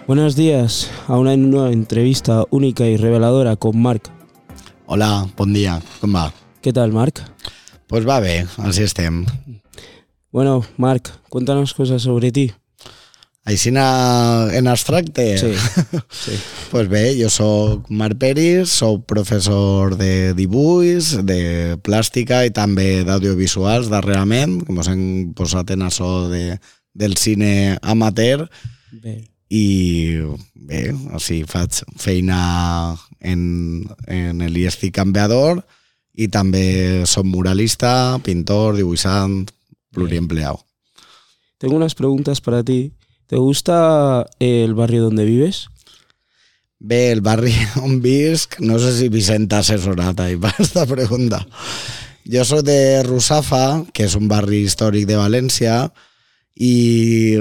Buenos días a una nueva entrevista única y reveladora con Marc. Hola, bon dia, com va? ¿Qué tal, Marc? Pues va bé, així estem. Bueno, Marc, cuéntanos cosas sobre ti. Així en abstracte? Sí, sí. Pues bé, jo soc Marc Peris, soc professor de dibuix, de plàstica i també d'audiovisuals darrerament, que mos hem posat en això del cine amateur. Bé. I bé, així faig feina en l'IESCI Canviador i també soc muralista, pintor, dibuixant, pluriempleado. Tengo unas preguntas para ti. ¿Te gusta el barrio donde vives? Bé, el barri on visc, no sé si Vicent t'ha assessorat ahí per esta pregunta. Jo soc de Russafa, que és un barri històric de València, i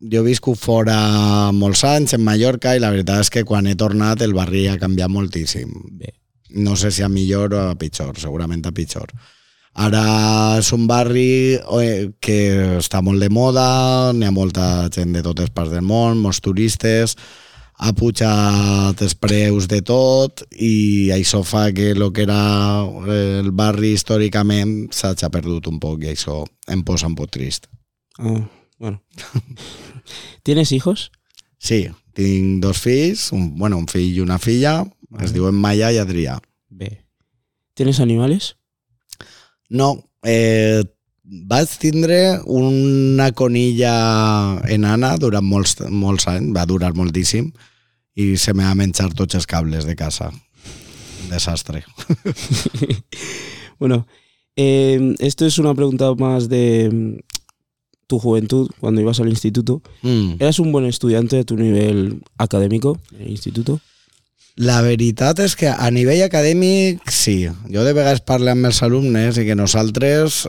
jo visco fora molts anys, en Mallorca, i la veritat és que quan he tornat el barri ha canviat moltíssim. Bé. No sé si a millor o a pitjor, segurament a pitjor. Ara és un barri que està molt de moda, n'hi ha molta gent de totes parts del món, molts turistes, ha pujat els preus de tot i això fa que el que era el barri històricament s'hagi perdut un poc i això em posa un poc trist. Ah, bueno. ¿Tienes hijos? Sí, tinc dos fills, un fill i una filla, es diuen Maya i Adrià. Bé. ¿Tienes animales? No, vaig tindre una conilla enana durant molts anys, va durar moltíssim, i se me va menjar tots els cables de casa. Desastre. Bueno, esto es una pregunta más de tu juventud, cuando ibas al instituto. ¿Eras un buen estudiante a tu nivel académico en el instituto? La veritat és que a nivell acadèmic sí. Jo de vegades parlo amb els alumnes i que nosaltres,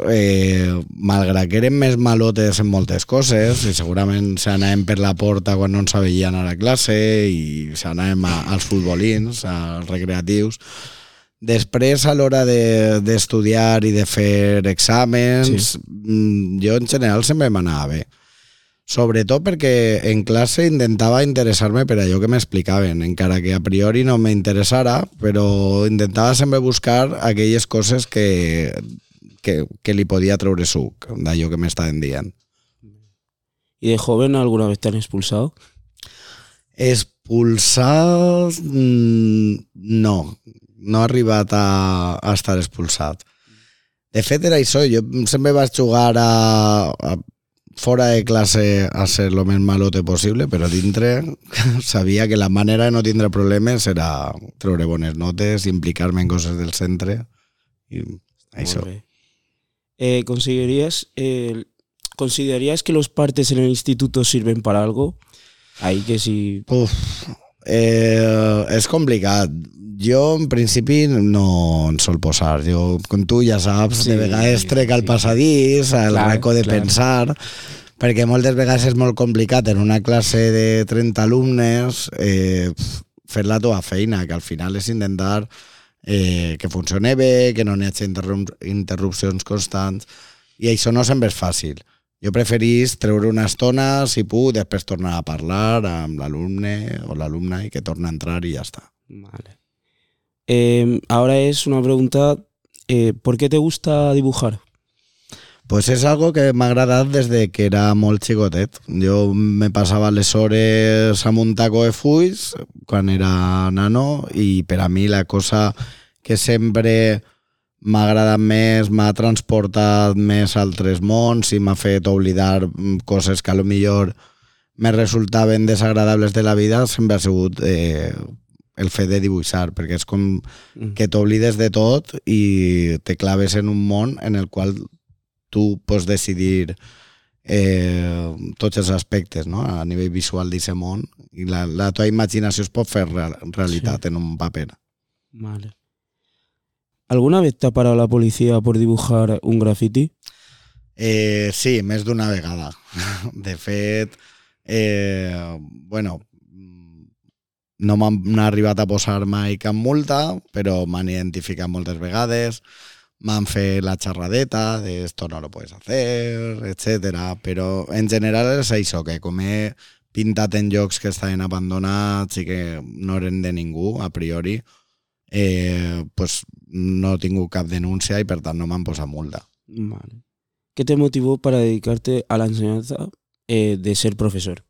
malgrat que érem més malotes en moltes coses, i segurament s'anàvem per la porta quan no ens veien a la classe i s'anàvem als futbolins, als recreatius, després a l'hora d'estudiar i de fer exàmens, jo en general sempre m'anava bé. Sobretot perquè en classe intentava interessar-me per allò que m'explicaven, encara que a priori no m'interessara, però intentava sempre buscar aquelles coses que li podia treure suc d'allò que m'estaven dient. ¿Y de joven alguna vez te han expulsado? Expulsat? No he arribat a estar expulsat. De fet era això, jo sempre vaig jugar a fora de classe a ser lo més malote possible, però dintre sabia que la manera de no tindre problemes era treure bones notes, implicar-me en coses del centre i això. ¿Considerarías que los partes en el instituto sirven para algo? Ahí que sí. És complicat. Jo, en principi, no en sol posar. Jo, com tu ja saps, de vegades trec al passadís, al racó de pensar, perquè moltes vegades és molt complicat en una classe de 30 alumnes fer la teva feina, que al final és intentar que funcioni bé, que no n'hi hagi interrupcions constants, i això no sempre és fàcil. Jo preferís treure una estona, si puc, després tornar a parlar amb l'alumne o l'alumna i que torna a entrar i ja està. Vale. Ahora es una pregunta, ¿por qué te gusta dibujar? Pues és algo que m'ha agradat des de que era molt xicotet. Jo me passava les hores amb un taco de fulls quan era nano i per a mi la cosa que sempre m'ha agradat més, m'ha transportat més a altres mons i m'ha fet oblidar coses que a lo millor me resultaven desagradables de la vida sempre ha sigut el fet de dibuixar, perquè és com que t'oblides de tot i te claves en un món en el qual tu pots decidir tots els aspectes, no? A nivell visual d'aquest món, i la teva imaginació es pot fer realitat en un paper. Vale. ¿Alguna vez te ha parado la policía por dibujar un graffiti? Sí, més d'una vegada. De fet, no m'han arribat a posar mai cap multa, però m'han identificat moltes vegades, m'han fet la xerradeta de esto no lo puedes hacer, etcétera, però en general és això, que com he pintat en llocs que estaven abandonats i que no eren de ningú, a priori, pues no he tingut cap denúncia i per tant no m'han posat multa. Vale. ¿Qué te motivó para dedicarte a la enseñanza de ser profesor?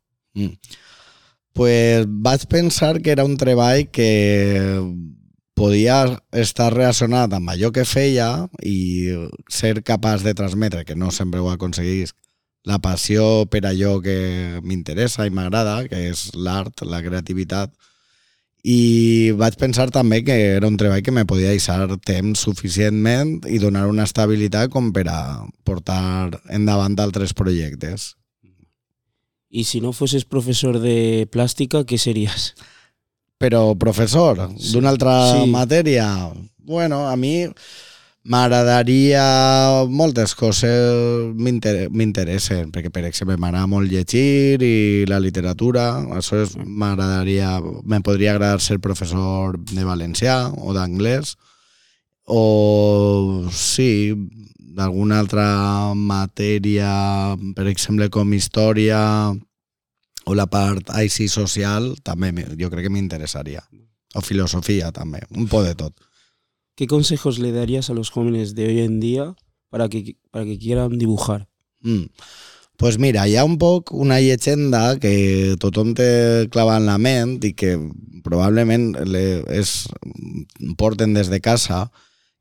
Pues vaig pensar que era un treball que podia estar relacionat amb allò que feia i ser capaç de transmetre, que no sempre ho aconseguís, la passió per allò que m'interessa i m'agrada, que és l'art, la creativitat. I vaig pensar també que era un treball que me podia deixar temps suficientment i donar una estabilitat com per a portar endavant altres projectes. Y si no fueses profesor de plástica, ¿qué serías? Però professor d'una altra matèria, bueno, a mi m'agradaria moltes coses, m'interessen, perquè per exemple m'agrada molt llegir i la literatura, això m'agradaria, me podria agradar ser professor de valencià o d'anglès, o sí, d'alguna altra matèria, per exemple com història o la part així social, també jo crec que m'interessaria. O filosofia també, un poc de tot. ¿Qué consejos le darías a los jóvenes de hoy en día para que quieran dibujar? Pues mira, hi ha un poc una llegenda que tothom té clavada en la ment i que probablement porten des de casa,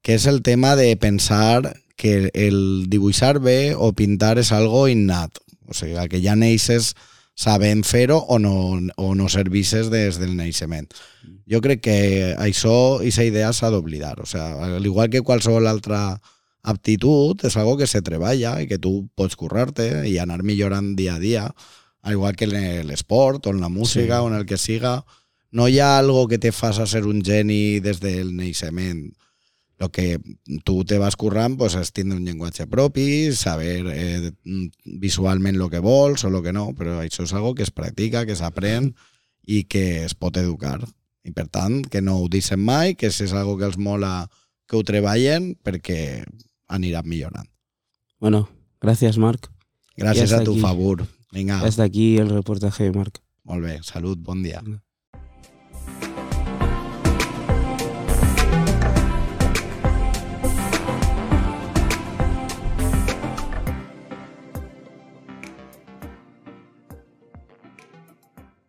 que és el tema de pensar que el dibuixar bé o pintar és algo innat. O sigui, que ja neixes sabent fer-ho o no servisses des del naixement. Jo crec que això, aquesta idea s'ha d'oblidar. O sigui, al igual que qualsevol altra aptitud, és algo que se treballa i que tu pots currar-te i anar millorant dia a dia, al igual que en l'esport o en la música o en el que siga. No hi ha algo que te faça ser un geni des del naixement. El que tu te vas currant pues, és tindre un llenguatge propi, saber visualment el que vols o el que no, però això és algo que es practica, que s'aprèn i que es pot educar. I per tant, que no ho deixen mai, que si és algo que els mola que ho treballen perquè aniran millorant. Bueno, gracias Marc. Gràcies a tu, favor. Vinga. Hasta aquí el reportaje de Marc. Molt bé, salut, bon dia.